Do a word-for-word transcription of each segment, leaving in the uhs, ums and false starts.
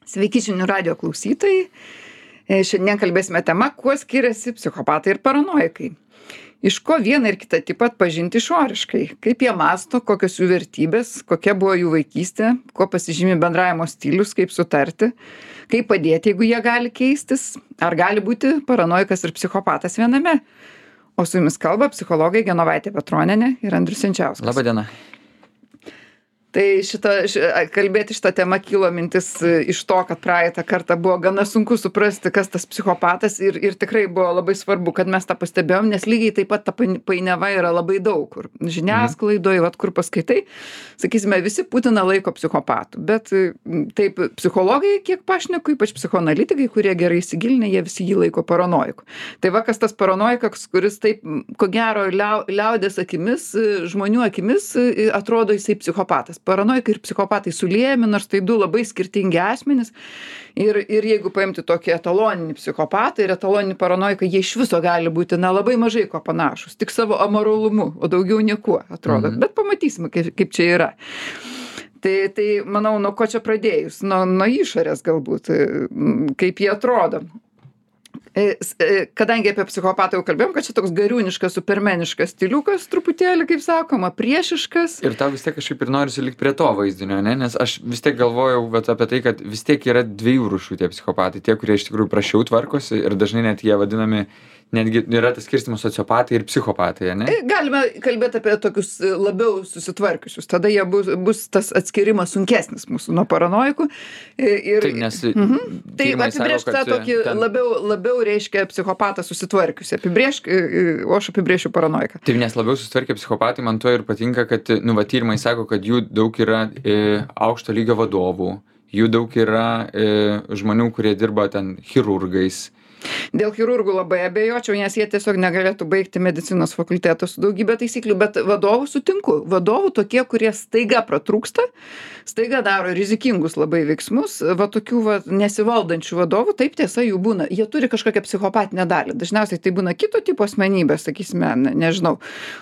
Sveiki žinių radijo klausytojai. E, Šiandien kalbėsime tema, kuo skiriasi psichopatai ir paranoikai. Iš ko vieną ir kitą tipą atpažinti išoriškai. Kaip jie mąsto, kokios jų vertybės, kokia buvo jų vaikystė, kuo pasižymi bendravimo stilius, kaip sutarti, kaip padėti, jeigu jie gali keistis, ar gali būti paranoikas ir psichopatas viename. O su jumis kalba psichologai Genovaitė Petronienė ir Andrius Jančiauskas. Labą dieną. Tai šita, ši, kalbėti šitą temą kilo mintis iš to, kad praeitą kartą buvo gana sunku suprasti, kas tas psichopatas ir, ir tikrai buvo labai svarbu, kad mes tą pastebėjom, nes lygiai taip pat ta painiava yra labai daug, kur žiniasklaidoje, vat, kur paskaitai, sakysime, visi Putiną laiko psichopatu, bet taip psichologai, kiek pašneku, ypač psichoanalitikai, kurie gerai įsigilinę, jie visi jį laiko paranoiku. Tai va, kas tas paranoikas, kuris taip, ko gero, liau, liaudės akimis, žmonių akimis atrodo jisai psichopatas. Paranoikai ir psichopatai suliejami, nors tai du labai skirtingi asmenys. Ir, ir jeigu paimti tokį etaloninį psichopatą ir etaloninį paranoiką, jie iš viso gali būti na, labai mažai ko panašus, tik savo amoralumu, o daugiau niekuo atrodo. Mhm. Bet pamatysime, kaip, kaip čia yra. Tai, tai manau, nuo ko čia pradėjus? Nuo, nuo išorės galbūt, kaip jie atrodo. Kadangi apie psichopatą jau kalbėjom, kad čia toks gariūniškas, supermeniškas stiliukas, truputėlį, kaip sakoma, priešiškas. Ir tau vis tiek kažkaip ir norisi likti prie to vaizdinio, ne? Nes aš vis tiek galvojau vat, apie tai, kad vis tiek yra dviejų rūšių tie psichopatai. Tie, kurie iš tikrųjų prašiau tvarkosi ir dažnai net jie vadinami, netgi yra tas skirstymas sociopatai ir psichopatai, ne? Galime kalbėti apie tokius labiau susitvarkiusius. Tada jie bus, bus tas atskirimas sunkesnis mūsų nuo paranoikų. Ir, taip, nes mhm. Tai apibrėžti tą tokį ten... labiau, labiau reiškia psichopatą susitvarkiusi. Apibrėžk, o aš apibrėšiu paranoiką. Taip, nes labiau susitvarkę psichopatai man to ir patinka, kad, nu, va, tyrimai sako, kad jų daug yra e, aukšto lygio vadovų, jų daug yra e, žmonių, kurie dirba ten chirurgais. Dėl chirurgų labai abejočiau, nes jie tiesiog negalėtų baigti medicinos fakulteto su daugybė taisyklių, bet vadovų sutinku. Vadovų tokie, kurie staiga pratrūksta, staiga daro rizikingus labai veiksmus, va tokių va, nesivaldančių vadovų, taip tiesa jų būna. Jie turi kažkokią psichopatinę dalį. Dažniausiai tai būna kito tipo asmenybės, sakysime, ne, nežinau,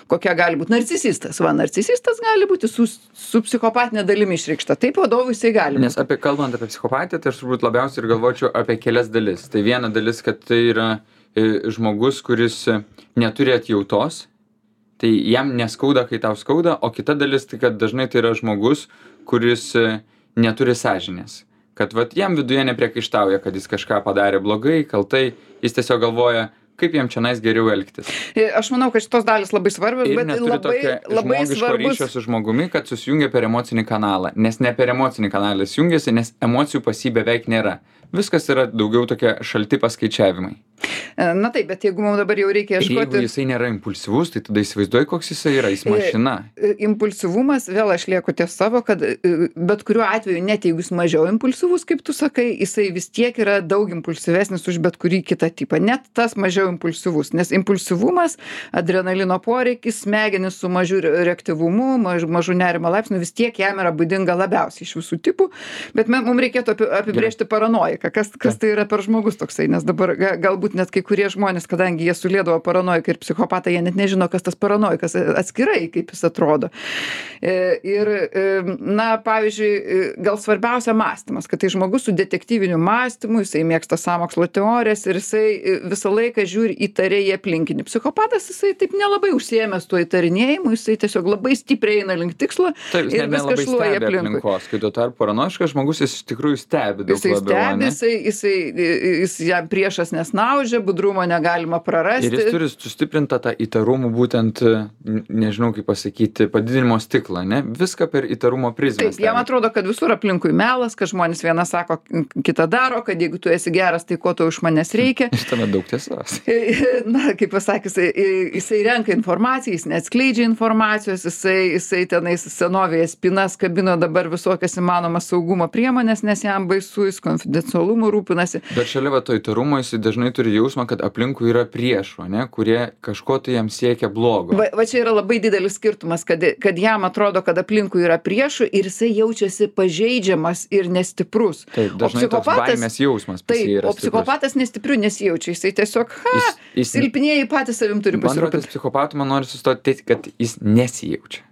kokia gali būti narcisistas. Va, narcisistas gali būti su, su psichopatinė dalimi išreikšta. Taip vadovui jisai gali. Nes apie, kalbant apie psichopatiją, tai aš turbūt labiausiai ir galvočiau apie kelias dalis. Tai viena dalis, kad tai yra e, žmogus, kuris neturi atjautos, tai jam neskauda, kai tau skauda, o kita dalis, tai kad dažnai tai yra žmogus, kuris e, neturi sąžinės. Kad vat, jam viduje nepriekaištauja, kad jis kažką padarė blogai, kaltai, jis tiesiog galvoja, kaip jam čionais geriau elgtis. Aš manau, kad šitos dalis labai svarbios, ir bet labai, labai svarbus ryšio su žmogumi, kad susijungia per emocinį kanalą, nes ne per emocinį kanalą jis jungiasi, nes emocijų pas jį beveik nėra. Viskas yra daugiau tokie šalti paskaičiavimai. Na taip, bet jeigu mums dabar jau reikia ieškoti... Jeigu jisai nėra impulsyvus, tai tada įsivaizduoji, koks jisai yra, jis mašina. Impulsyvumas, vėl aš lieku ties savo, kad bet kuriuo atveju, net jeigu jis mažiau impulsyvus, kaip tu sakai, jisai vis tiek yra daug impulsyvesnis už bet kurį kitą tipą. Net tas mažiau impulsyvus, nes impulsyvumas, adrenalino poreikis, smegenis su mažiu reaktyvumu, maž, mažu nerimo laipsniu, vis tiek jam yra būdinga labiausiai iš visų tipų, bet mums reikėtų apibrėžti paranoiką. Kas, kas tai yra per žmogus toksai, nes dabar ga, galbūt net kai kurie žmonės, kadangi jie suliedavo paranoiką ir psichopatą, jie net nežino, kas tas paranoikas atskirai, kaip jis atrodo. Ir, na, pavyzdžiui, gal svarbiausia mąstymas, kad tai žmogus su detektyviniu mąstymu, jisai mėgsta sąmokslo teorijas ir jisai visą laiką žiūri įtariai į aplinkinį. Psichopatas, jisai taip nelabai užsiėmęs tuo įtarinėjimu, jisai tiesiog labai stipriai eina link tikslo. Taip, ir viskas šluoja aplinkui. Aplinkos, kai tuo tarp paranoiškas žmogus jis iš tikrųjų stebi daug jisai labiau. Stebi, jisai, jisai, jis jam priešas nesnaudžia, budrumo negalima prarasti. Ir jis turi sustiprintą tą įtarumų būtent, nežinau kaip pasakyti, padidinimo stiklą, ne? Viską per įtarumo prizmę. Taip, jam atrodo, kad visur aplinkui melas, kad žmonės vieną sako, kitą daro, kad jeigu tu esi geras, tai ko to iš manęs reikia. Iš tame daug tiesos. Na, kaip pasakys, jisai renka informaciją, jis neatskleidžia informacijos, jisai, jisai tenais senovėje spinas kabino dabar visokias įmanomas saugumo priemonės, nes jam baisu, jis konfidencialumu rūpinasi. Bet šalia va to įtarumo jis dažnai turi jausmą, kad aplinkui yra priešų, ne, kurie kažko tai jam siekia blogo. Va, va čia yra labai didelis skirtumas, kad, kad jam atrodo, kad aplinkui yra priešų ir jisai jaučiasi pažeidžiamas ir nestiprus. Taip, dažnai toks baimės jausmas pas jį yra stiprus. O psichopatas nestipriu nesijaučia, jisai tiesiog, ha, jis, jis, silpnieji patys savim turi pasirūpinti. Man psichopatų man nori sustoti, kad jis nesijaučia.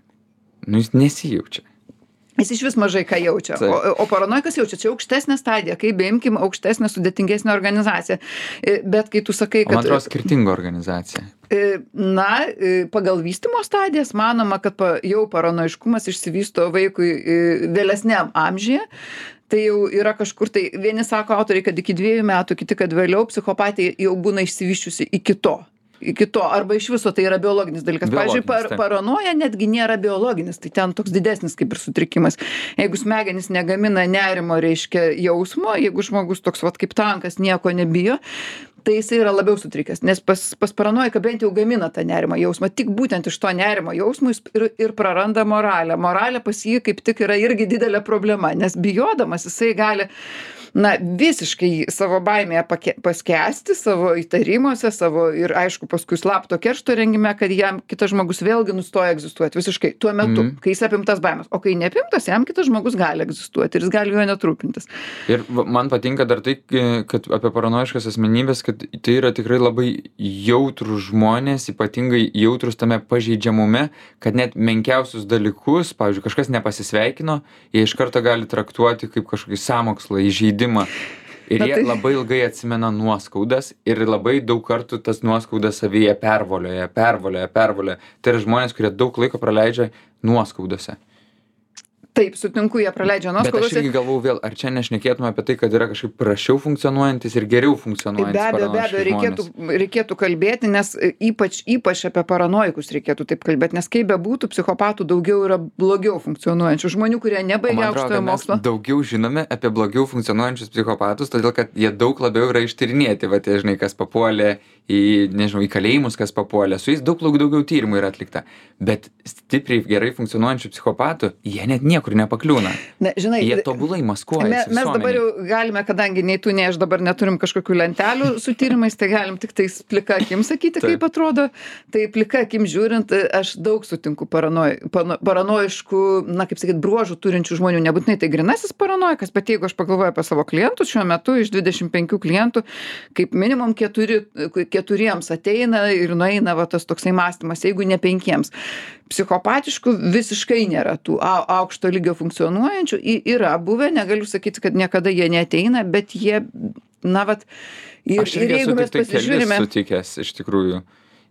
Nu, jis nesijaučia. Jis iš vis mažai ką jaučia. O, o paranoikas jaučia, čia aukštesnė stadija, kai beimkim aukštesnė, sudėtingesnė organizacija. Bet kai tu sakai, kad... O man atrodo, skirtinga organizacija. Na, pagal vystymo stadijas manoma, kad jau paranoiškumas išsivysto vaikui vėlesniam amžiuje. Tai jau yra kažkur, tai vieni sako autoriai, kad iki dviejų metų, kiti, kad vėliau psichopatija jau būna išsivyščiusi iki to. Iki to, arba iš viso tai yra biologinis dalykas. Pavyzdžiui, par, paranoja netgi nėra biologinis, tai ten toks didesnis kaip ir sutrikimas. Jeigu smegenys negamina nerimo, reiškia jausmo, jeigu žmogus toks vat kaip tankas nieko nebijo, tai jis yra labiau sutrikęs, nes pas, pas paranoiką bent jau gamina tą nerimo jausmą. Tik būtent iš to nerimo jausmo jis ir, ir praranda moralę. Moralė pas jį kaip tik yra irgi didelė problema, nes bijodamas jisai gali na, visiškai savo baimėje pake, paskesti, savo įtarimuose, savo ir aišku paskui slapto keršto rengime, kad jam kitas žmogus vėlgi nustoja egzistuoti visiškai tuo metu, mm. kai jis apimtas baimės. O kai neapimtas, jam kitas žmogus gali egzistuoti ir jis gali juo netrūpintis. Ir man patinka dar tai, kad apie paranoiškas asmenybės, kad tai yra tikrai labai jautrus žmonės, ypatingai jautrus tame pažeidžiamume, kad net menkiausius dalykus, pavyzdžiui, kažkas nepasisveikino, jie iš karto gali traktuoti kaip kažkokį sąmokslą, įžeidimą. Ir jie tai... labai ilgai atsimena nuoskaudas ir labai daug kartų tas nuoskaudas savyje pervolioja, pervolioja, pervolioja. Tai yra žmonės, kurie daug laiko praleidžia nuoskaudose. Taip, sutinku, jie praleidžia nuoskaudose. Bet aš irgi galvoju vėl, ar čia nešnekėtume apie tai, kad yra kažkaip prašiau funkcionuojantis ir geriau funkcionuojantis be abejo, be abejo, reikėtų, reikėtų kalbėti, nes ypač, ypač apie paranoikus reikėtų taip kalbėti, nes kaip bebūtų, psichopatų daugiau yra blogiau funkcionuojančių žmonių, kurie nebaigia aukštojo mokslo. Daugiau žinome apie blogiau funkcionuojančius psichopatus, todėl kad jie daug labiau yra ištyrinėti, va tie, žinai, kas papuolė į, nežinau, į kalėjimus, kas papuolė, su jais daug daugiau tyrimų yra atlikta. Bet stipriai gerai funkcionuojančių psichopatų, jie net niekur nepakliūna. Na, žinai, jie tobulai maskuojasi. Me, mes dabar jau galime, kadangi nei tu, nei aš dabar neturim kažkokių lentelių su tyrimais, tai galim tik tais plika akim sakyti, kaip atrodo. Tai plika akim žiūrint, aš daug sutinku paranoj, paranoiškų, na, kaip sakyt, bruožų turinčių žmonių. Nebūtinai tai grinasis paranoikas, bet jeigu aš pagalvoju apie savo klientus, šiuo metu iš dvidešimt penkių klientų, kaip minimum keturi, keturiems ateina ir nueina va, tas toksai mąstymas, jeigu ne penkiems. Psichopatiškų visiškai nėra tų aukšto lygio funkcionuojančių, yra buvę, negaliu sakyti, kad niekada jie neateina, bet jie, na, vat, ir, aš ir jeigu mes pasižiūrime... Aš sutikęs, iš tikrųjų.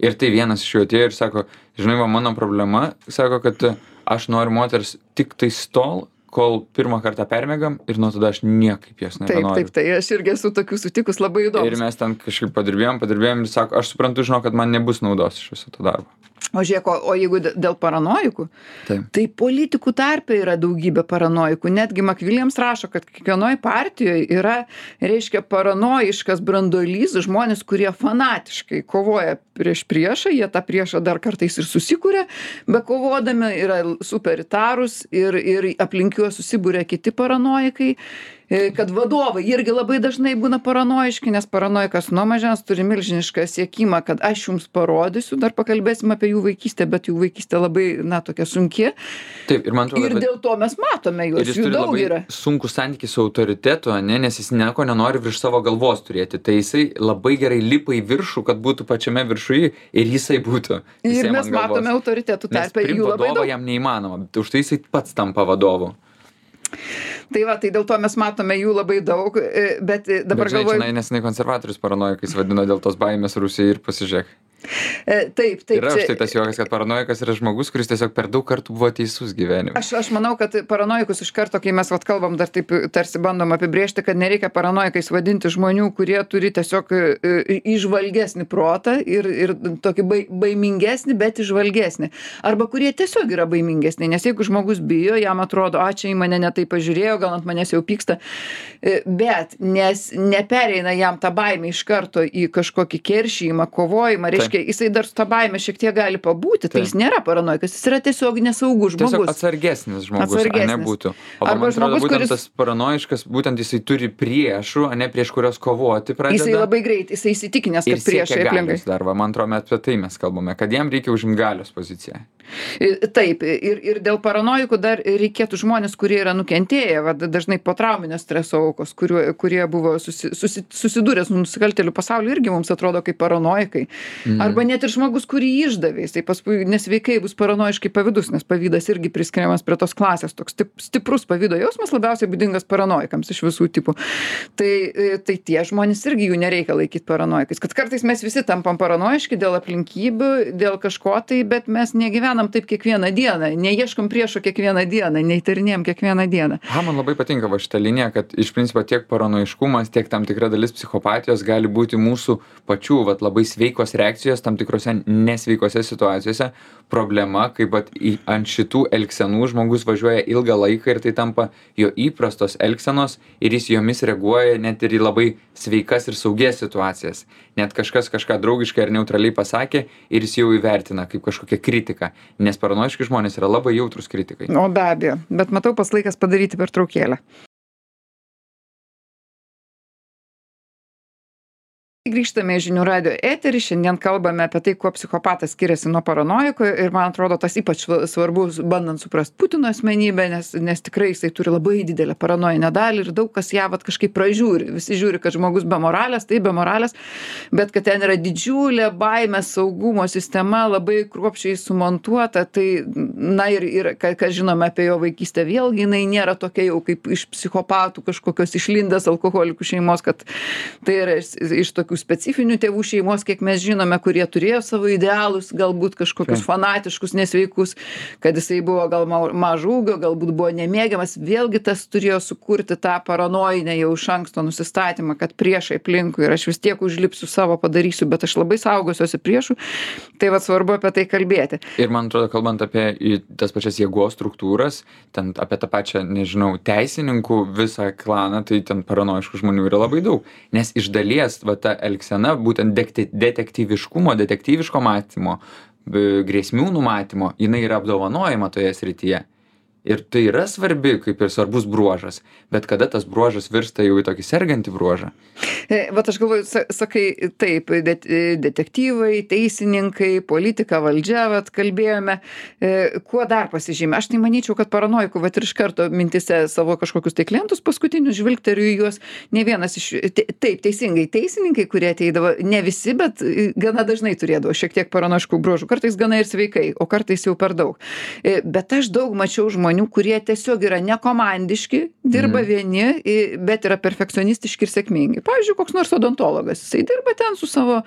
Ir tai vienas iš jų atėjo ir sako, žinai, va, mano problema, sako, kad aš noriu moters tik tai tol, kol pirmą kartą permėgam ir nuo tada aš niekaip jas nebenoriu. Taip, taip, tai aš irgi esu tokių sutikus labai įdomus. Ir mes ten kažkaip padirbėjom, padirbėjom ir sako, aš suprantu, žinau, kad man nebus naudos iš viso to darbo. O žiūrėk, o, o jeigu dėl paranojikų, taip. Tai politikų tarpe yra daugybė paranojikų. Netgi McWilliams rašo, kad kiekvienoje partijoje yra, reiškia, paranojiškas branduolys, žmonės, kurie fanatiškai kovoja prieš priešą, jie tą priešą dar kartais ir susikūrė, bet kovodami yra superitarus ir, ir aplink juos susibūrė kiti paranojikai. Kad vadovai irgi labai dažnai būna paranojiški, nes paranojikas nuo mažens turi milžinišką siekimą, kad aš jums parodysiu, dar pakalbėsim apie jų vaikystę, bet jų vaikystė labai, na, tokia sunki. Taip, ir man atrodo, ir bet... dėl to mes matome juos, jų daug yra. Sunku santykį su autoritetu, ne, nes jis nieko nenori virš savo galvos turėti, tai jisai labai gerai lipa į viršų, kad būtų pačiame viršuje ir jisai būtų. Ir mes matome autoritetų tarpe, jų labai daug. Jam neįmanoma, už tai jisai pats tampa vadovu. Tai va, tai dėl to mes matome jų labai daug, bet dabar bet, žinai, galvoju... Žinai, nesenai konservatorius paranojikais vadino dėl tos baimės Rusijai ir pasižiūrėk. Taip, taip. Yra štai tas juokas, kad paranojikas yra žmogus, kuris tiesiog per daug kartų buvo teisus gyvenime. Aš, aš manau, kad paranojikus iš karto, kai mes vat kalbam, dar taip tarsi bandom apibrėžti, kad nereikia paranojikais vadinti žmonių, kurie turi tiesiog įžvalgesnį protą ir, ir tokį baimingesnį, bet įžvalgesnį. Arba kurie tiesiog yra baimingesni, nes jeigu žmogus bijo, jam atrodo, a, čia į mane netai pažiūrėjo, gal ant manęs jau pyksta, bet nes nepereina jam tą baimę iš karto į kažkokį keršymą, kovojimą, reiškia, jisai dar su tą baimę šiek tiek gali pabūti, tai jis nėra paranojikas, jis yra tiesiog nesaugus žmogus. Tiesiog atsargesnis žmogus, atsargesnis. A ne būtų. O Arba man atrodo, žmogus, būtent kuris... tas paranojiškas, būtent jisai turi priešų, a ne prieš kurios kovoti pradeda. Jisai labai greit, jisai įsitikinęs, kad priešai aplinkai. Dar, va, man atrodo, apie tai mes kalbame, kad jam reikia užimti galios poziciją. Taip, ir, ir dėl paranojikų dar reikėtų žmonės, kurie yra nukentėję, va, dažnai po trauminio streso aukos, kurie, kurie buvo susi, susi, susidūrę su nusikaltėlių pasauliu, irgi mums atrodo kaip paranojikai. Mhm. Arba net ir žmogus, kurį išdavė, jisai paskui nesveikai bus paranojiškai pavydus, nes pavydas irgi priskiriamas prie tos klasės. Toks stiprus pavydo jausmas labiausiai būdingas paranojikams iš visų tipų. Tai, tai tie žmonės irgi jų nereikia laikyti paranojikais. Kad kartais mes visi tampam paranojiški dėl aplinkybių, dėl kažko tai, bet mes negyvenam taip kiekvieną dieną, neieškom priešo kiekvieną dieną, neįtarinėjom kiekvieną dieną. Ha, man labai patinka va šitą liniją, kad iš principo tiek paranojiškumas, tiek tam tikra dalis psichopatijos gali būti mūsų pačių vat, labai sveikos reakcijos tam tikrose nesveikose situacijose. Problema, kaip vat, į, ant šitų elgsenų žmogus važiuoja ilgą laiką ir tai tampa jo įprastos elgsenos ir jis jomis reaguoja net ir į labai sveikas ir saugias situacijas. Net kažkas kažką draugiškai ar neutraliai pasakė ir jis jau įvertina kaip kažkokią kritiką, nes paranojiški žmonės yra labai jautrus kritikai. O be abejo, bet matau pas laikas padaryti pertraukėlę. Grįžtame į Žinių radijo eterį, šiandien kalbame apie tai, kuo psichopatas skiriasi nuo paranojiko ir man atrodo tas ypač svarbus, bandant suprast Putino asmenybę, nes, nes tikrai jisai turi labai didelę paranojinę dalį ir daug kas ją vat kažkaip pražiūri. Visi žiūri, kad žmogus be moralės, tai be moralės, bet kad ten yra didžiulė baimės saugumo sistema, labai kruopščiai sumontuota, tai na ir, ir ką žinome apie jo vaikystę, vėlgi jinai nėra tokia jau kaip iš psichopatų kažkokios išlindęs alkoholikų šeimos, kad tai yra iš tokių specifinių tėvų šeimos, kiek mes žinome, kurie turėjo savo idealus, galbūt kažkokius Taip. fanatiškus, nesveikus, kad jisai buvo gal mažo ūgio, galbūt buvo nemėgiamas. Vėlgi tas turėjo sukurti tą paranojinę jau iš anksto nusistatymą, kad priešai aplinkui ir aš vis tiek užlipsiu savo padarysiu, bet aš labai saugosiuosi priešų. Tai va svarbu apie tai kalbėti. Ir man atrodo, kalbant apie tas pačias jėgos struktūras, ten apie tą pačią, nežinau, teisininkų visą klaną, tai ten paranojiškų žmonių yra labai daug. Nes iš dalies va ta elgsena, būtent detektyviškumo, detektyviško matymo, grėsmių numatymo, jinai yra apdovanojama toje srityje. Ir tai yra svarbi, kaip ir svarbus bruožas, bet kada tas bruožas virsta jau į tokį sergantį bruožą? Vat aš galvoju, sakai, taip, det, detektyvai, teisininkai, politika, valdžia, vat kalbėjome, kuo dar pasižymė. Aš tai manyčiau, kad paranojikų, vat ir iš karto mintise savo kažkokius tai klientus paskutinius žvilgteriu į juos, ne vienas iš, te, taip, teisingai, teisininkai, kurie ateidavo, ne visi, bet gana dažnai turėdavo šiek tiek paranojiškų bruožų, kartais gana ir sveikai, o kartais jau per daug. Bet aš daug mačiau žmonių, kurie tiesiog yra nekomandiški, dirba mm. vieni, bet yra perfekcionistiški ir sėkmingi. Pavyzdžiui, koks nors odontologas, jisai dirba ten su savo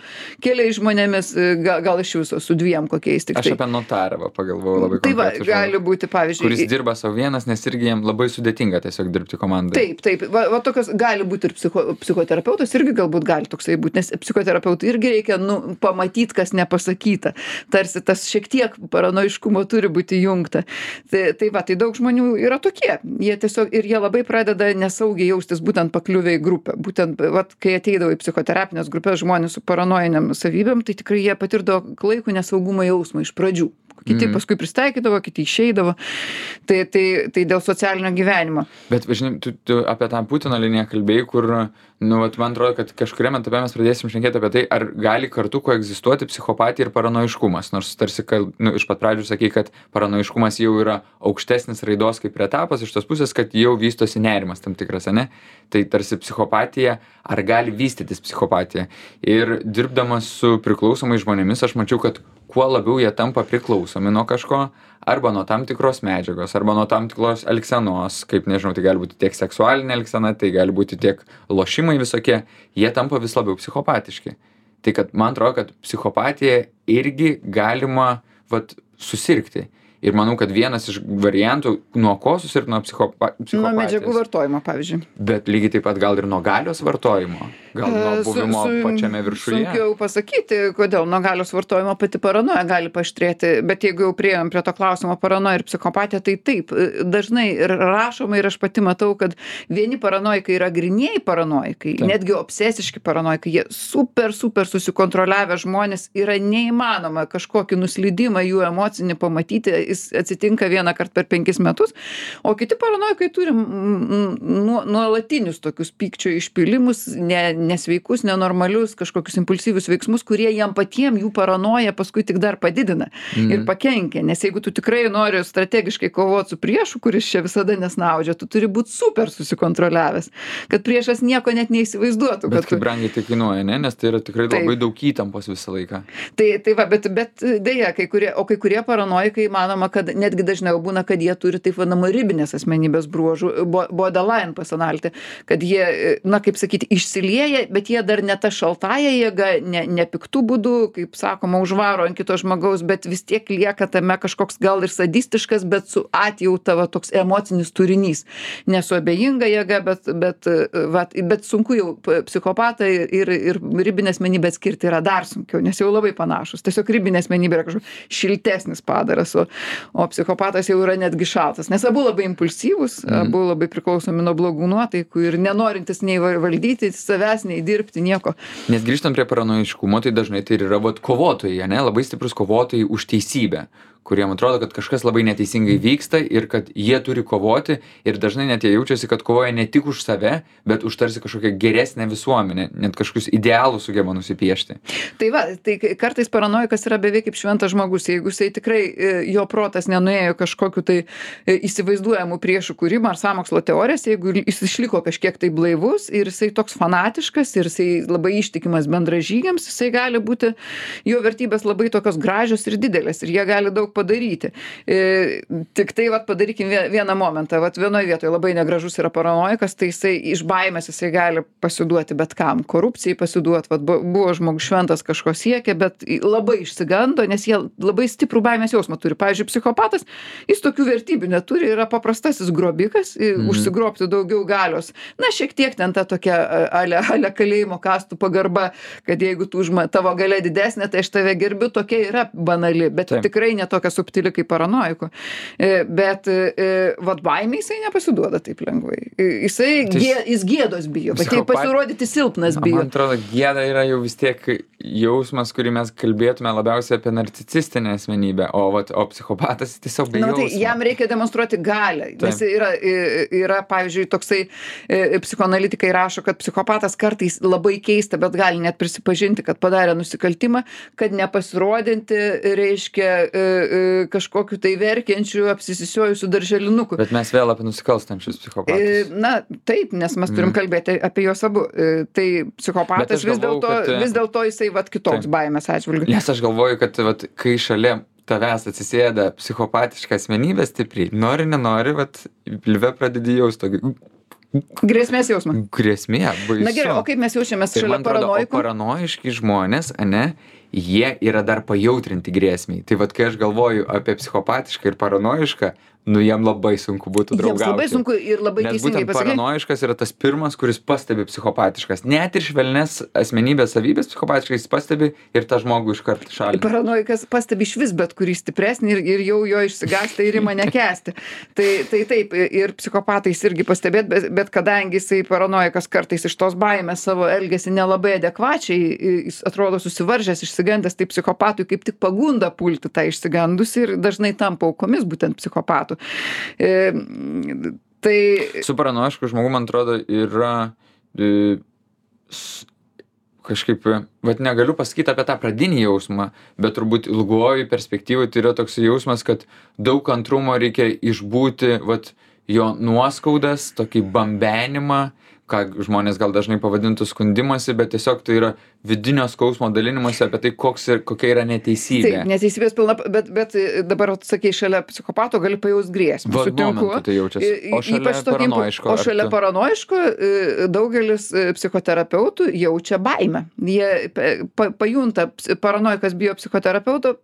keliais žmonėmis, gal, gal iš viso su dviem kokiais tik. Aš apie notarą pagalvojau labai tai va, konkrečiai. Gali būti, pavyzdžiui. Kuris dirba savo vienas, nes irgi jam labai sudėtinga tiesiog dirbti komandai. Taip, taip. Va, va tokios gali būti ir psicho, psichoterapeutas irgi galbūt gali toksai būti, nes psichoterapeutui irgi reikia nu, pamatyti, kas nepasakyta. Tarsi tas šiek tiek paranojiškumo turi būti jungta. Tai, tai va, tai daug žmonių yra tokie. Jie tiesiog ir jie labai pradeda nesaugiai jaustis būtent pakliuvę į grupę. Būtent, vat, kai ateidavo į psichoterapinės grupės žmonės su paranojiniam savybėm, tai tikrai jie patirdavo klaikų nesaugumo jausmą iš pradžių. Kiti mm. paskui pristaikydavo, kiti išeidavo. Tai, tai, tai dėl socialinio gyvenimo. Bet, žinai, tu, tu apie tą Putino liniją kalbėjai, kur, nu, vat, man atrodo, kad kažkuriam etape mes pradėsim šnekėti apie tai, ar gali kartu koegzistuoti psichopatija ir paranojiškumas. Nors tarsi, nu, iš pat pradžių sakei, kad paranojiškumas jau yra aukštesnis raidos kaip etapas, iš tos pusės, kad jau vystosi nerimas tam tikras, ne? Tai tarsi psichopatija, ar gali vystytis psichopatija. Ir dirbdamas su priklausomais žmonėmis, aš mačiau, kad kuo labiau jie tampa priklausomi nuo kažko, arba nuo tam tikros medžiagos, arba nuo tam tikros elgsenos, kaip nežinau, tai gali būti tiek seksualinė elgsena, tai gali būti tiek lošimai visokie, jie tampa vis labiau psichopatiški. Tai kad man atrodo, kad psichopatija irgi galima vat, susirgti. Ir manau, kad vienas iš variantų, nuo ko susirgti nuo psichopa, psichopatijos. Nuo medžiagų vartojimo, pavyzdžiui. Bet lygiai taip pat gal ir nuo galios vartojimo. Gal nuo buvimo su, su, pačiame viršuje. Sunkiau pasakyti, kodėl nuo galios vartojimo pati paranoja gali paaštrėti. Bet jeigu jau priėjom prie to klausimo paranoja ir psichopatija, tai taip. Dažnai ir rašoma ir aš pati matau, kad vieni paranojikai yra grynieji paranojikai, taip. Netgi obsesiški paranojikai. Jie super, super susikontroliavę žmonės, yra neįmanoma kažkokį nuslydimą jų emocinį pamatyti jis atsitinka vieną kartą per penkis metus, o kiti paranojikai turi nu, nuolatinius tokius pykčio išpilimus, ne, nesveikus, nenormalius, kažkokius impulsyvius veiksmus, kurie jam patiem jų paranoja paskui tik dar padidina mm. ir pakenkia. Nes jeigu tu tikrai nori strategiškai kovoti su priešu, kuris čia visada nesnaudžia, tu turi būti super susikontroliavęs, kad priešas nieko net neįsivaizduotų. Bet kaip tu... brangiai tai kainuoja, ne? Nes tai yra tikrai taip. Labai daug įtampos visą laiką. Tai, tai va, bet, bet dėja, kai kurie, o kai kurie paranojikai manoma, kad netgi dažniau būna, kad jie turi taip vadinamą ribinės asmenybės bruožų, borderline personality, kad jie, na kaip sakyti, išsilieja, bet jie dar ne ta šaltąja jėga, ne, ne piktų būdų, kaip sakoma, užvaro ant kito žmogaus, bet vis tiek lieka tame kažkoks gal ir sadistiškas, bet su atjauta va, toks emocinis turinys. Nesu abejinga jėga, bet, bet, va, bet sunku jau psichopatą ir, ir ribinę asmenybę atskirti yra dar sunkiau, nes jau labai panašus. Tiesiog ribinė asmenybė yra kažkoks šiltesnis padaras, o, o psichopatas jau yra netgi šaltas. Nes abu labai impulsyvūs, mm. abu labai priklausomi nuo blogų nuotaikų ir nenorintis nei valdyti savęs, nei dirbti, nieko. Nes grįžtant prie paranojiškumo, tai dažnai tai yra vat, kovotojai, ne? Labai stiprus kovotojai už teisybę, kuriem atrodo, kad kažkas labai neteisingai vyksta ir kad jie turi kovoti ir dažnai net jie jaučiasi, kad kovoja ne tik už save, bet už tarsi kažkokią geresnę visuomenę, net kažkokius idealus sugeba nusipiešti. Tai va, tai kartais paranojikas yra beveik kaip šventas žmogus, jeigu jisai tikrai jo protas nenuėjo kažkokiu tai įsivaizduojamų priešų kūrimą ar sąmokslo teorijas, jeigu jis išliko kažkiek tai blaivus ir jisai toks fanatiškas ir jisai labai ištikimas bendražygiams, jisai gali būti, jo vertybės labai tokios gražios ir didelės ir jie gali daug padaryti. E, tik tai vat, padarykim vieną momentą. Vat vienoje vietoje labai negražus yra paranojikas, tai jisai iš baimės jisai gali pasiduoti bet kam. Korupcijai pasiduoti. Vat, buvo žmogus šventas kažko siekia, bet labai išsigando, nes jie labai stiprų baimės jausmą turi. Pavyzdžiui, psichopatas, jis tokių vertybių neturi, yra paprastasis grobikas, mm. užsigrobti daugiau galios. Na, šiek tiek ten ta tokia ale, ale kalėjimo kastų pagarba, kad jeigu tu užma, tavo galia didesnė, tai aš tave gerbiu, tokia yra banali, bet Taip. Tikrai ne tokia subtili kaip paranoiko. Bet vat baimė jisai nepasiduoda taip lengvai. Jisai tai gė, jis gėdos bijo, bet tai pasirodyti silpnas bijo. Man atrodo, gėda yra jau vis tiek jausmas, kurį mes kalbėtume labiausiai apie narcisistinę asmenybę, o, vat, o psichopatas tiesiog be Na, jausmo. Tai jam reikia demonstruoti galią, nes yra, yra, pavyzdžiui, toksai psichoanalitikai rašo, kad psichopatas kartais labai keista, bet gali net prisipažinti, kad padarė nusikaltimą, kad nepasirodinti reiškia kažkokiu tai verkiančiu, apsisisiojusiu darželinuku. Bet mes vėl apie nusikalstančius psichopatus. Na, taip, nes mes turim mm. kalbėti apie juos abu. Tai psichopatas vis dėlto kad... vis dėlto jisai vat kitoks taip. Baimės atžvilgiu. Nes aš galvoju, kad vat, kai šalia tavęs atsisėda psichopatiška asmenybė stipriai, nori, nenori, vat pilve pradedi jaust tokį... Grėsmės jausmą. Grėsmė, baisu. Na gerai, o kaip mes jaučiamės šalia paranoikų? Paranoiški žmonės, ane, jie yra dar pajautrinti grėsmiai. Tai vat, kai aš galvoju apie psichopatišką ir paranoišką, nu jam labai sunku būtų draugauti. Jiems labai sunku ir labai Nes teisingai būtent pasakyti. paranoiškas yra tas pirmas, kuris pastebi psichopatiškas. Net ir švelnes asmenybės savybės psichopatiškai jis pastebi ir tą žmogų iškart šalina. Paranoikas pastebi iš vis bet kurį stipresnį ir, ir jau jo išsigąsta ir ima nekęsti. tai, tai taip, ir psichopatais irgi pastebėt, bet, bet kadangi jisai paranoikas kartais iš tos baimės savo elgesi nelabai adekvačiai, jis atrodo susivaržęs, išsigandęs, tai psichopatui kaip tik pagunda pulti tą išsigandusi ir dažnai tampa aukomis būtent psichopatų. E, tai... Su paranoišku žmogu, man atrodo, yra e, s, kažkaip, vat negaliu pasakyti apie tą pradinį jausmą, bet turbūt ilguoju perspektyvui tai yra toks jausmas, kad daug kantrumo reikia išbūti, vat jo nuoskaudas, tokį bambenimą, ką žmonės gal dažnai pavadintų skundimasi, bet tiesiog tai yra vidinio skausmo dalinimasi apie tai, koks ir, kokia yra neteisybė. Taip, neteisybės pilna, bet, bet dabar, sakei, šalia psichopato gali pajaust grėsmę. Vat momentu tai jaučiasi. O šalia paranoiško. O šalia paranoiško daugelis psichoterapeutų jaučia baimę. Jie pa, pajunta, paranoikas bijo psichoterapeuto,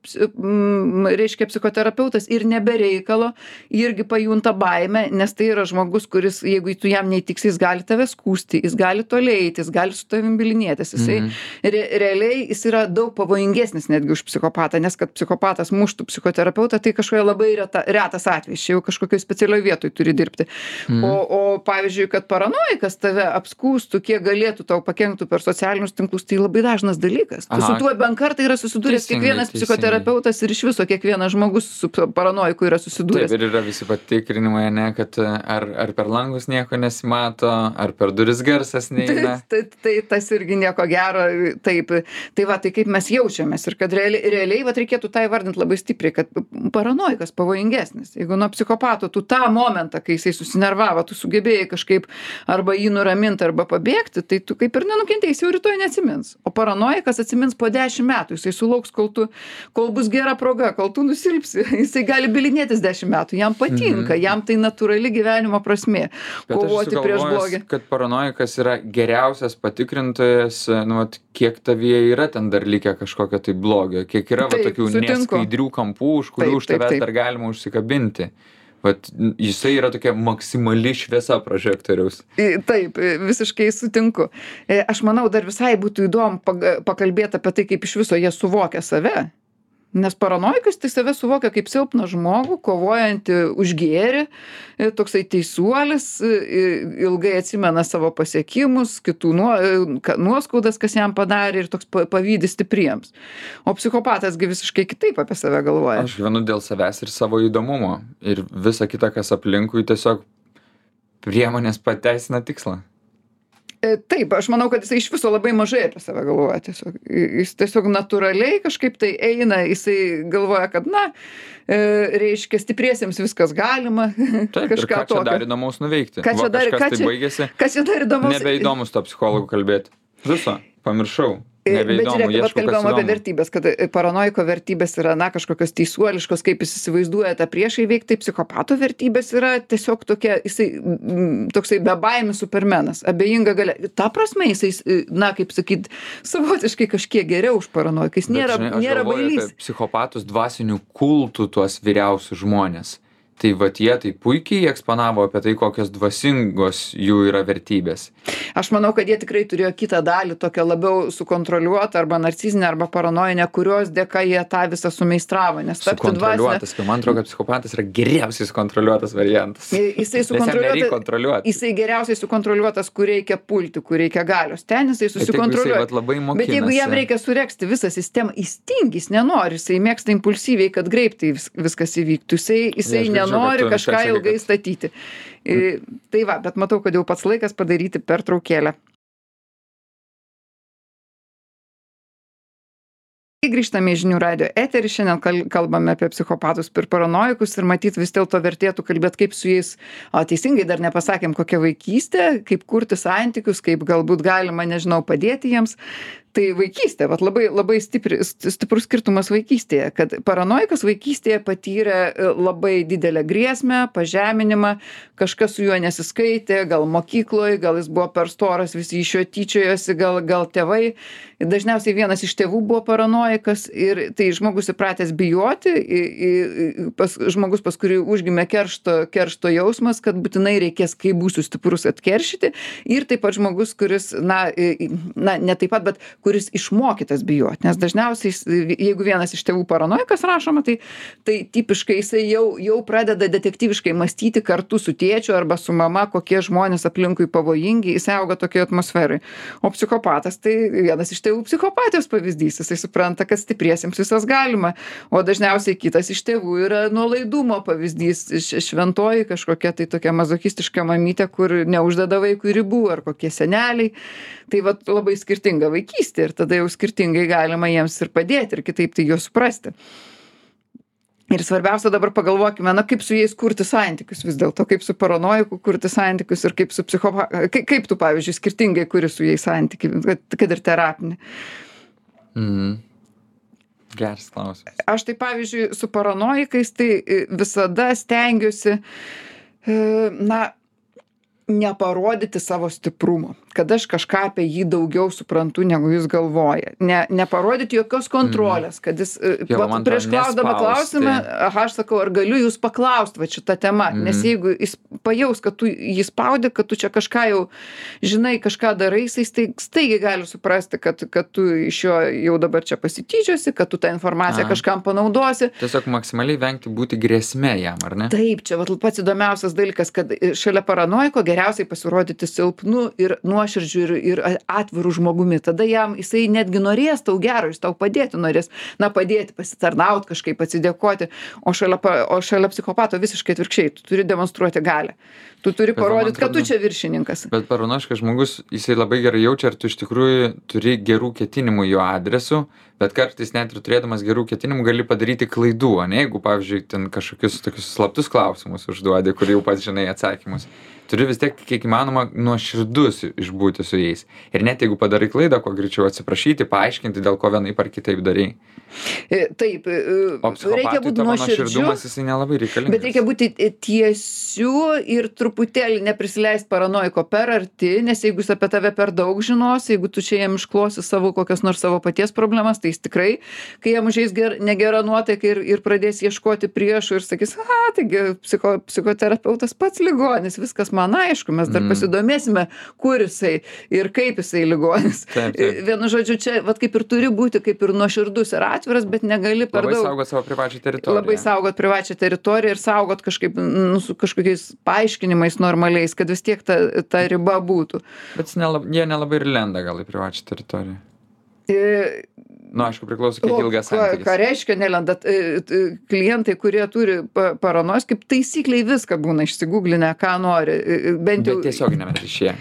reiškia psichoterapeutas ir nebereikalo irgi pajunta baimę, nes tai yra žmogus, kuris, jeigu tu jam neįtiks, jis gali tave skųsti, jis gali toliai eiti, jis gali su tavim bylinėtis. Jisai Mhm. re, realiai jis yra daug pavojingesnis netgi už psichopatą, nes kad psichopatas muštų psichoterapeutą, tai kažkokia labai reta, retas atvejis, čia jau kažkokioj specialioj vietoj turi dirbti. Mhm. O, o pavyzdžiui, kad paranojikas tave apskūstų, kiek galėtų tau pakenktų per socialinius tinklus, tai labai dažnas dalykas. Tu Aha. su tuo bent kartą yra susidūręs Teisingai, kiekvienas teisingai. psichoterapeutas ir iš viso kiekvienas žmogus su paranojiku yra susidūręs. Taip, ir yra visi patikrinimai, ne, kad ar, ar per langus nieko nesimato, ar per duris garsas neina. Tai, tai, tai tas irgi nieko gero, taip. Tai va, tai kaip mes jaučiamės ir kad realiai, realiai va, reikėtų tą įvardinti labai stipriai, kad paranojikas pavojingesnis. Jeigu nuo psichopato tu tą momentą, kai jisai susinervavo, tu sugebėjai kažkaip arba jį nuraminti, arba pabėgti, tai tu kaip ir nenukentėjai, jau rytoj neatsimins. O paranojikas atsimins po dešimt metų, jisai sulauks, kol, tu, kol bus gera proga, kol tu nusilpsi, jisai gali bylinėtis dešimt metų, jam patinka, jam tai natūrali gyvenimo prasmė, Bet kovoti aš prieš sugalvojęs, blogį. kad paranojikas yra geriausias patikrintojas, nu, vat, kiek tavyje yra ten dar likę kažkokio tai blogio, kiek yra va, Taip, tokių sutinku. neskaidrių kampų, už kurių Taip, už taip, tavęs taip. dar galima užsikabinti. Vat, jisai yra tokia maksimali šviesa prožektoriaus. I- Taip, i- visiškai sutinku. E, Aš manau, dar visai būtų įdomu pag- pakalbėti apie tai, kaip iš viso jie suvokia save. Nes paranojikas tai save suvokia kaip silpną žmogų, kovojantį už gėrį, e, toksai teisuolis, e, ilgai atsimena savo pasiekimus, kitų nuo, e, ka- nuoskaudas, kas jam padarė ir toks pa- pavydis stipriems. O psichopatasgi visiškai kitaip apie save galvoja. Aš gyvenu dėl savęs ir savo įdomumo. Ir visa kita, kas aplinkui, tiesiog priemonės pateisina tikslą. E, Taip, aš manau, kad jisai iš viso labai mažai apie save galvoja. Tiesiog. Jis tiesiog natūraliai kažkaip tai eina, jisai galvoja, kad, na, e, reiškia, stipriesiems viskas galima. Taip, ir ką čia dar įdomaus nuveikti? Ką čia Va, dar- kažkas ką tai čia- baigėsi, Kas čia dar įdomus? nebeįdomus to psichologų kalbėti. Viso, pamiršau. E, Bet Nebeįdomu, žiūrėk, vat ieškau, kas kalbėjom apie įdomu. vertybės, kad e, paranoiko vertybės yra, na, kažkokios teisuoliškos, kaip jis įsivaizduoja tą priešą įveikti, tai psichopato vertybės yra tiesiog tokia, jisai, mm, toksai bebaimis supermenas, abejinga galia. Ta prasme, jisai, e, na, kaip sakyt, savotiškai kažkiek geriau už paranoiką. Jis Bet, nėra, žinai, aš nėra galvoju bailys. apie psichopatus dvasinių kultų tuos vyriausius žmonės. Tai vat jie tai puikiai eksponavo apie tai, kokios dvasingos jų yra vertybės. Aš manau, kad jie tikrai turėjo kitą dalį, tokią labiau sukontroliuotą arba narcizinę arba paranoinę, kurios dėka jie tą visą sumeistravo. Nes tapti dvasinę... Sukontroliuotas, kai man atrodo, kad psichopatas yra geriausiai sukontroliuotas variantas. Jisai Nes jam nereikia sukontroliuotas, kontroliuoti. jisai geriausiai sukontroliuotas, kur reikia pulti, kur reikia galios. Ten jisai Bet jeigu jisai susikontroliuoja. vat labai Bet jeigu jam mokinasi- reikia suregzti visą sistemą, jis tingi, jis nenori, jisai mėgsta impulsyviai, kad greitai vis, viskas įvyktų. Jisai, jisai aš girdžiu, nenori kad tu kažką sakei, ilgai kad- statyti. I, tai va, bet matau, kad jau pats laikas padaryti pertraukėlę. Grįžtame į žinių radio eterį, šiandien kal- kalbame apie psichopatus ir paranojikus ir matyt vis dėlto vertėtų kalbėti, kaip su jais, o teisingai dar nepasakėm, kokia vaikystė, kaip kurti santykius, kaip galbūt galima, nežinau, padėti jiems. Tai vaikystė, vat labai, labai stipri, st- stiprus skirtumas vaikystėje, kad paranojikas vaikystėje patyrė e, labai didelę grėsmę, pažeminimą, kažkas su juo nesiskaitė, gal mokykloje, gal jis buvo per storas, visi iš jo tyčiojosi, gal, gal tėvai. Dažniausiai vienas iš tėvų buvo paranojikas ir tai žmogus įpratęs bijoti, i, i, pas, žmogus, pas kurį užgimė keršto, keršto jausmas, kad būtinai reikės, kai būsiu stiprus, atkeršyti. Ir taip pat žmogus, kuris, na, i, na ne taip pat, bet kuris išmokytas bijoti. Nes dažniausiai, jis- jeigu vienas iš tėvų paranojikas rašoma, tai, tai tipiškai jisai jau, jau pradeda detektyviškai mąstyti kartu su tėčiu arba su mama, kokie žmonės aplinkui pavojingi, jis auga tokioje atmosferai. O psichopatas tai vienas iš tėvų psichopatijos pavyzdys, jisai supranta, kad stipriesiems visas galima. O dažniausiai kitas iš tėvų yra nuolaidumo pavyzdys, š- šventoji kažkokia tai tokia mazochistiška mamytė, kur neuždeda vaikui ribų, ar kokie seneliai. Tai vat labai skirtinga vaikystė ir tada jau skirtingai galima jiems ir padėti ir kitaip tai juos suprasti. Ir svarbiausia dabar pagalvokime, na kaip su jais kurti santykius vis dėlto, kaip su paranojiku kurti santykius ir kaip su psichopatu, kaip, kaip tu, pavyzdžiui, skirtingai kuri su jais santykiai, kad, kad ir terapinį. Mhm. Geras klausimas. Aš tai, pavyzdžiui, su paranojikais tai e, visada stengiuosi, e, na, neparodyti savo stiprumo. kad aš kažką apie jį daugiau suprantu, negu jis galvoja. Ne, neparodyti jokios kontrolės, kad jis Jo, jo, man prieš atrodo, klausdama nespausti. klausimą, aha, aš sakau, ar galiu jūs paklausti va šitą temą, Mhm. nes jeigu jis pajaus, kad tu jį spaudi, kad tu čia kažką jau žinai, kažką darai, jisai staig- staigiai gali suprasti, kad, kad tu iš jo jau dabar čia pasityčiosi, kad tu tą informaciją Aha. kažkam panaudosi. Tiesiog maksimaliai vengti būti grėsme jam, ar ne? Taip, čia vat pats įdomiausias dalykas, kad šalia paranoiko geriausiai pasirodyti silpnu ir nuoširdžiu ir, ir atviru žmogumi. Tada jam jisai netgi norės tau gero, jis tau padėti norės, na padėti, pasitarnauti kažkaip, atsidėkoti, o šalia, pa- o šalia psichopato visiškai atvirkščiai, tu turi demonstruoti galią. Tu turi Bet man parodyti, kad tu atrodo- čia viršininkas. Bet paranojiškas žmogus, jisai labai gerai jaučia, ar tu iš tikrųjų turi gerų ketinimų jo adresu, bet kartais net ir turėdamas gerų ketinimų gali padaryti klaidų, o ne, jeigu, pavyzdžiui, ten kažkokius tokius slaptus klausimus užduodi, kur jau pats žinai atsakymus. Turi vis tiek, kiek įmanoma, nuoširdus išbūti su jais. Ir net jeigu padarai klaidą, kuo greičiau atsiprašyti, paaiškinti, dėl ko vienaip ar kitaip darai. E, Taip, e, O reikia psichopatui būti tavo nuoširdžiu. nuoširdumas, jisai nelabai reikalingas. Bet reikia būti tiesiu ir truputėlį neprisileist paranoiko per arti, nes jeigu jis apie tave per daug žinos, jeigu tu čia jam išklosi savo kokias nors savo paties problemas, tai jis tikrai, kai jam užeis ger, negera nuotaika ir, ir pradės ieškoti priešų ir sakys, aha, taigi psicho, psichoterapeutas pats ligonis, viskas man aišku, mes dar Mm. pasidomėsime, kur jisai ir kaip jisai ligonis. Taip, taip. Vienu žodžiu, čia vat, kaip ir turi būti, kaip ir nuoširdus ir atviras, bet negali per Labai daug. saugot savo privačią teritoriją. Labai saugot privačią teritoriją ir saugot kažkaip, nu, su kažkokiais paaiškinimais normaliais, kad vis tiek ta, ta riba būtų. Bet jis nelab, jie nelabai ir lenda gal į privačią teritoriją. E, Nu, aišku, priklauso, kiek o ilgas ką, santykis. ką reiškia nelenda? E, e, Klientai, kurie turi pa- paranojos, kaip taisykliai viską būna išsigūglinę, ką nori. E, e, Bent jau Bet tiesioginėme ryšyje.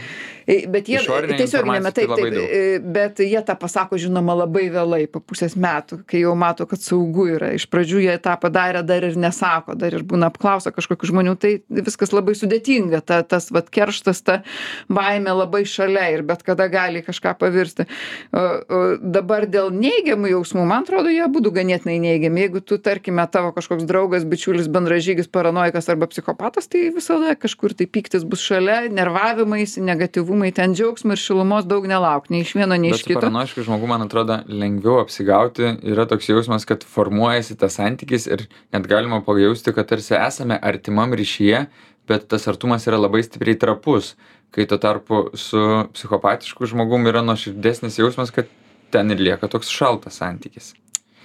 E, Bet jie Išorinė tiesiog informacija neme tai taip, labai taip, daug. e, bet jie tą pasako žinoma labai vėlai, po pusės metų, kai jau mato, kad saugu yra. Iš pradžių jie tą padarė, dar ir nesako, dar ir būna apklausa kažkokių žmonių, tai viskas labai sudėtinga, ta, tas vat kerštas, ta baimė labai šalia ir bet kada gali į kažką pavirsti. O, o dabar dėl neigiamų jausmų, man atrodo, jie būtų ganėtinai neigiami. Jeigu tu, tarkime, tavo kažkoks draugas, bičiulis, bendražygis, paranoikas arba psichopatas, tai visada kažkur tai pyktis bus šalia, nervavimais, negatyvumai, ten džiaugsmo ir šilumos daug nelauk, nei iš vieno, nei Bet iš su kito. paranojišku žmogu, man atrodo, lengviau apsigauti. Yra toks jausmas, kad formuojasi tas santykis ir net galima pajausti, kad tarsi esame artimam ryšyje, bet tas artumas yra labai stipriai trapus. Kai tuo tarpu su psichopatišku žmogum yra nuoširdesnis jausmas, kad ten ir lieka toks šaltas santykis.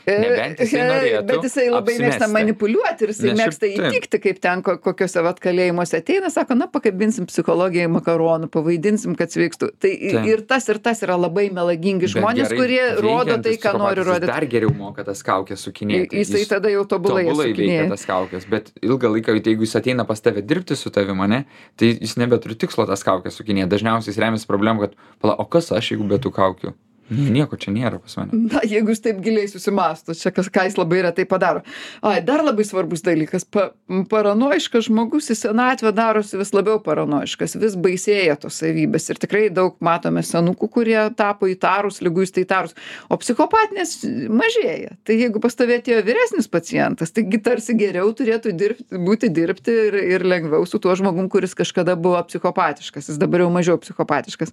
Nebent jisai norėtų Bet jisai labai mėgsta apsimesti. manipuliuoti ir jisai Nes šiaip mėgsta taip. įtikti, kaip ten ko- kokiuose vat kalėjimuose ateina, sako, na, pakabinsim psichologiją į makaronų, pavaidinsim, kad sveiktų. Tai Taip. ir tas ir tas yra labai melagingi Bet žmonės, gerai kurie rodo veikiantis tai, ką nori psichopatas, jis rodyti. Dar geriau moka tas kaukės sukinėti. Jisai Jis tada jau tobulai tobulai veikia sukinėja. tas kaukės, bet ilgą laiką, jeigu jis ateina pas tave dirbti su tavimi, ne, tai jis nebeturi tikslo tas kaukės sukinėti. Dažniausiai jis remiasi problemą, kad, pala, o kas aš, jeigu be tų kaukių? Nieko čia nėra pas mane. Na, jeigu jis taip giliai susimastų, čia kas, ką jis labai retai padaro. Ai, dar labai svarbus dalykas. Pa, paranoiškas žmogus į senatvę darosi vis labiau paranoiškas, vis baisėja tos savybės. Ir tikrai daug matome senukų, kurie tapo įtarus, liguistai įtarus. O psichopatinės mažėja. Tai jeigu pas tave atėjo vyresnis pacientas, taigi tarsi geriau turėtų dirbti, būti dirbti ir, ir lengviau su tuo žmogum, kuris kažkada buvo psichopatiškas. Jis dabar jau mažiau psichopatiškas.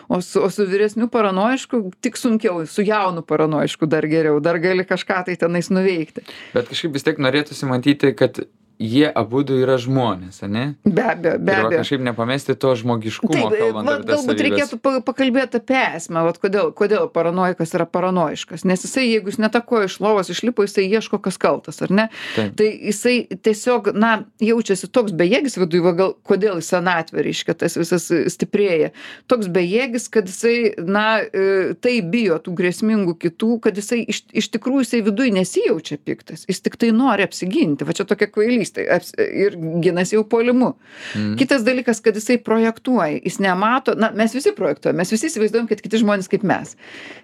O su, o su vyresniu paranoišku tik sunkiau, su jaunu paranoišku dar geriau, dar gali kažką tai tenais nuveikti. Bet kažkaip vis tiek norėtųsi matyti, kad jie abudu yra žmonės, ane? Be abejo, be Ir va, abejo. kažkaip nepamesti to žmogiškumo, Taip, kalbant va, apie tas galbūt savybes. reikėtų pa- pakalbėti apie esmę, vat kodėl, kodėl paranoikas yra paranoiškas. Nes jisai, jeigu jis netako iš lovos išlipo, jisai ieško, kas kaltas, ar ne? Taip. Tai jisai tiesiog, na, jaučiasi toks bejėgis viduje, va, gal kodėl į senatvę, reiškia, tas visas stiprėja. Toks bejėgis, kad jisai, na, e, tai bijo tų grėsmingų kitų, kad jisai iš, iš tikrųjų jisai viduje nesijaučia piktas. Jis tik tai nori apsiginti. Va čia tokia kvailystė. Aps, ir ginasi jau puolimu. Mm. Kitas dalykas, kad jisai projektuoja, jis nemato, na, mes visi projektuojam, mes visi įsivaizduojam, kad kiti žmonės kaip mes.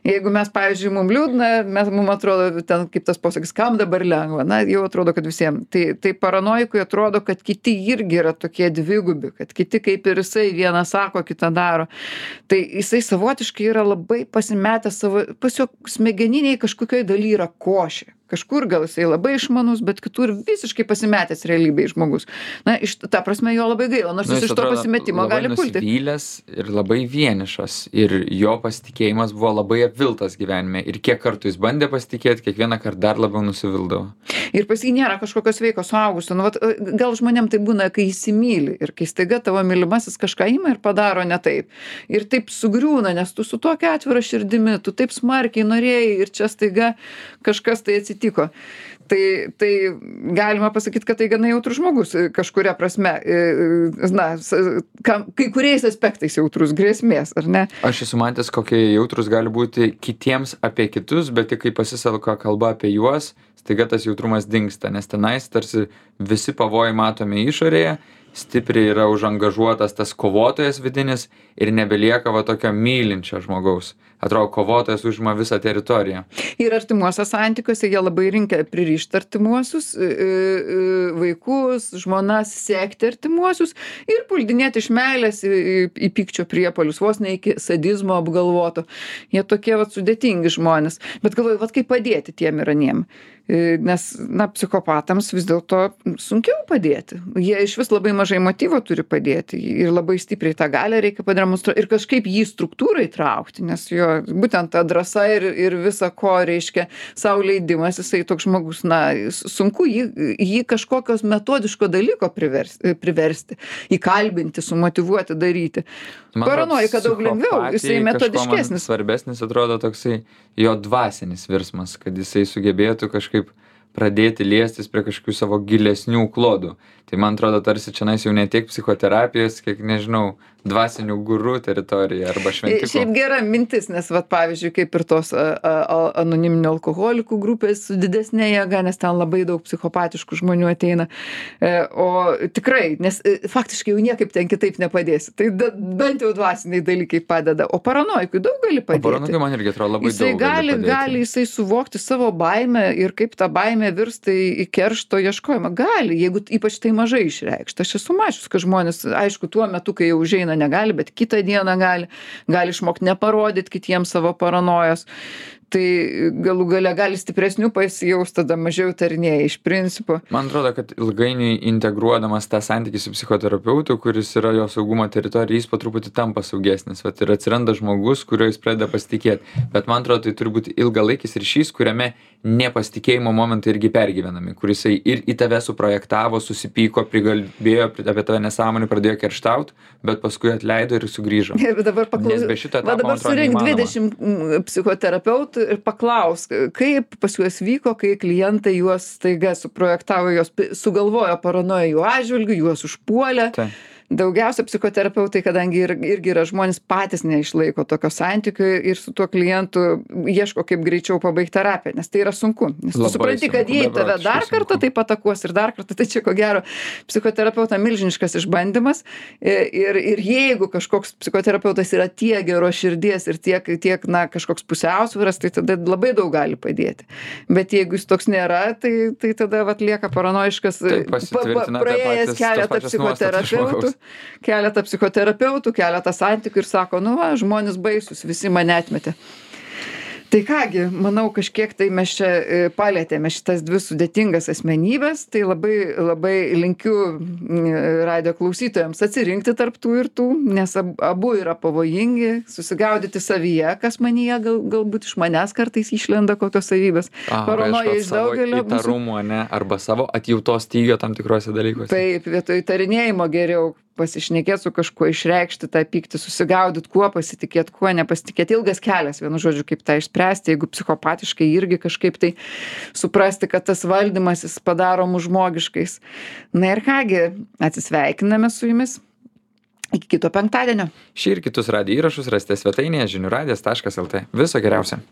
Jeigu mes, pavyzdžiui, mums liūdna, mes, mums atrodo, ten kaip tas posakis, kam dabar lengva, na, jau atrodo, kad visiems. Tai, tai paranoikui atrodo, kad kiti irgi yra tokie dvigubi, kad kiti kaip ir jisai vieną sako, kitą daro. Tai jisai savotiškai yra labai pasimetęs savo, pas jo smegeniniai kažkokioj daly yra košė. Kažkur gal jisai labai išmanus, bet kitur visiškai pasimetęs realybėj žmogus. Na, iš ta prasme jo labai gaila, nors Nu, jis jis iš to atrodo pasimetimo labai gali pulti. nusivylęs ir labai vienišas. Ir jo pasitikėjimas buvo labai apviltas gyvenime. Ir kiek kartų jis bandė pasitikėti, kiekvieną kartą dar labiau nusivildavo. Ir pas jį nėra kažkokio sveiko suaugusio. Nu, vat, gal žmonėm tai būna, kai įsimyli ir kai staiga tavo mylimasis kažką ima ir padaro ne taip. Ir taip sugriūna, nes tu su tokia atvira širdimi, tu taip smarkiai norėjai ir čia staiga kažkas tai atsitiko. Tai, tai galima pasakyti, kad tai gana jautrus žmogus kažkuria prasme, na, kam, kai kuriais aspektais jautrus grėsmės, ar ne? Aš esu matęs, kokie jautrus gali būti kitiems apie kitus, bet tik kai pasiselka kalba apie juos, staiga tas jautrumas dingsta, nes tenais tarsi visi pavojai matomi išorėje, stipriai yra užangažuotas tas kovotojas vidinis ir nebelieka va tokio mylinčio žmogaus. Atrodo, kovotojas užima visą teritoriją. Ir artimuose santykiuose jie labai rinkia pririšti artimuosius, vaikus, žmonas, sekti artimuosius ir puldinėti iš meilės į, į, į pykčio priepuolius, vos ne iki sadizmo apgalvoto. Jie tokie vat sudėtingi žmonės. Bet galvoju, vat kaip padėti tiem ir aniem. Nes, na, psichopatams vis dėlto sunkiau padėti. Jie iš vis labai mažai motyvo turi padėti ir labai stipriai tą galią reikia pademonstruoti ir kažkaip jį struktūrą įtraukti, nes jo būtent ta drąsa ir, ir visa ko reiškia sau leidimas, jisai toks žmogus, na, sunku jį, jį kažkokios metodiško dalyko priversti, priversti, įkalbinti, sumotyvuoti, daryti. Paranojika daug lengviau, jisai metodiškesnis. Svarbesnis atrodo toksai jo dvasinis virsmas, kad jisai sugebėtų kažkaip pradėti liestis prie kažkokių savo gilesnių klodų. Tai man atrodo, tarsi čionais jau ne tiek psichoterapijos, kiek, nežinau, dvasinių gurų teritorija arba šventikų. Šiaip gera mintis, nes, vat, pavyzdžiui, kaip ir tos a, a, anoniminių alkoholikų grupės su didesnė jėga, nes ten labai daug psichopatiškų žmonių ateina. E, o tikrai, nes e, faktiškai jau niekaip ten kitaip nepadėsi. Tai da, bent jau dvasiniai dalykai padeda. O paranojikui daug gali padėti. O paranojikui man irgi atrodo labai jisai daug gali, gali padėti. Gali jisai suvokti savo baimę ir kaip ta baimė virsta į, į keršto ieškojimą. Gali, jeigu ypač tai mažai išreikšta. Aš esu mačius, kad žmonės, aišku, tuo metu, kai jau užeina, negali, bet kitą dieną gali, gali išmokti neparodyti kitiems savo paranojos. Tai galų gale gali stipresnių pasijaust, tada mažiau tarinėja iš principo. Man atrodo, kad ilgainiui integruodamas tą santykį su psichoterapeutu, kuris yra jo saugumo teritorija, jis po truputį tampa saugesnis. Vat ir atsiranda žmogus, kurio jis pradeda pasitikėti. Bet man atrodo, tai turi būti ilgalaikis ryšys, kuriame nepasitikėjimo momentai irgi pergyvenami, kur jisai ir į tave suprojektavo, susipyko, prigalbėjo apie tave nesąmonį, pradėjo kerštauti, bet paskui atleido ir sugrįžo. Ir dabar paklaus... Nes be šito etapo, va dabar surink dvidešimt psichoterapeutų ir paklaus, kaip pas juos vyko, kai klientai juos staiga suprojektavo, juos sugalvojo paranoją jų atžvilgių, juos užpuolė. Tai. Daugiausia psichoterapeutai, kadangi ir, irgi yra žmonės patys neišlaiko tokio santykio ir su tuo klientu ieško kaip greičiau pabaigti terapiją, nes tai yra sunku. Nes tu Labai supranti, kad sunku, jei tave dar kartą taip atakuos ir dar kartą, tai čia ko gero psichoterapeuta milžiniškas išbandymas ir, ir jeigu kažkoks psichoterapeutas yra tiek geros širdies ir tiek, tiek na, kažkoks pusiausvyras, tai tada labai daug gali padėti. Bet jeigu jis toks nėra, tai, tai tada vat, lieka paranojiškas, pa, pa, praėjęs keletą psichoterapeutų. Keletą psichoterapeutų, keletą santykių ir sako, nu va, žmonės baisus, visi mane atmetė. Tai kągi, manau, kažkiek tai mes čia palėtėme šitas dvi sudėtingas asmenybės, tai labai, labai linkiu radijo klausytojams atsirinkti tarp tų ir tų, nes abu yra pavojingi, susigaudyti savyje, kas manyje gal, galbūt iš manęs kartais išlenda kokios savybės. Paranoja iš daugelio. Įtarumo, ne, arba savo atjautos stygio tam tikrose dalykuose. Taip, vietoj įtarinėjimo geriau pasišnekėti su kažkuo, išreikšti tą pyktį, susigaudyti, kuo pasitikėti, kuo nepasitikėti. Ilgas kelias, vienu žodžiu, kaip tą išspręsti, jeigu psichopatiškai irgi kažkaip tai suprasti, kad tas valdymas jis padaro mus žmogiškais. Na ir kągi, atsisveikiname su jumis. Iki kito penktadienio. Šį ir kitus radijo įrašus rasite svetainėje žinių radijas taškas lt. Viso geriausio.